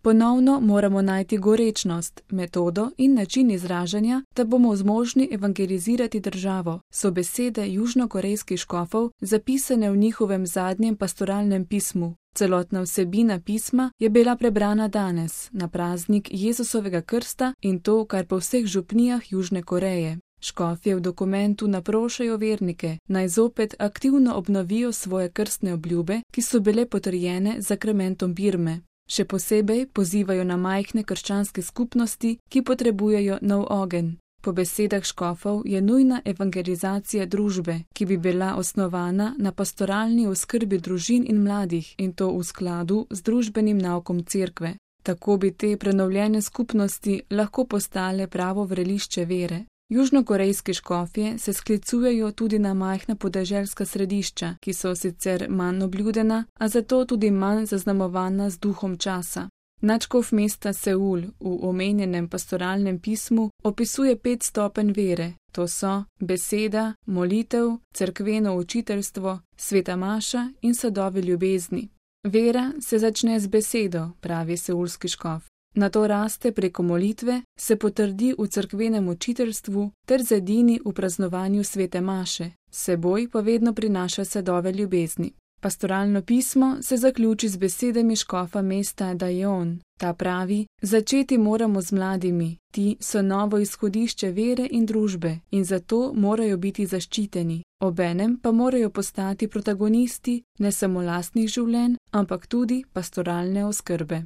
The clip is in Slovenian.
Ponovno moramo najti gorečnost, metodo in način izražanja, da bomo zmožni evangelizirati državo, so besede južnokorejskih škofov zapisane v njihovem zadnjem pastoralnem pismu. Celotna vsebina pisma je bila prebrana danes, na praznik Jezusovega krsta in to kar po vseh župnijah Južne Koreje. Škofje v dokumentu naprošajo vernike, naj zopet aktivno obnovijo svoje krstne obljube, ki so bile potrjene z sakramentom birme. Še posebej pozivajo na majhne krščanske skupnosti, ki potrebujejo nov ogenj. Po besedah škofov je nujna evangelizacija družbe, ki bi bila osnovana na pastoralni oskrbi družin in mladih in to v skladu z družbenim naukom cerkve. Tako bi te prenovljene skupnosti lahko postale pravo vrelišče vere. Južnokorejski škofje se sklicujejo tudi na majhna podeželska središča, ki so sicer manj obljudena, a zato tudi manj zaznamovana z duhom časa. Nadškof mesta Seul v omenjenem pastoralnem pismu opisuje 5 stopenj vere, to so beseda, molitev, cerkveno učiteljstvo, sveta maša in sadovi ljubezni. Vera se začne z besedo, pravi seulski škof. Nato raste preko molitve, se potrdi v cerkvenem učiteljstvu ter zedini v praznovanju svete maše, seboj pa vedno prinaša sadove ljubezni. Pastoralno pismo se zaključi z besedami škofa mesta Dajeon. Ta pravi: začeti moramo z mladimi, ti so novo izhodišče vere in družbe in zato morajo biti zaščiteni. Obenem pa morajo postati protagonisti ne samo lastnih življenj, ampak tudi pastoralne oskrbe.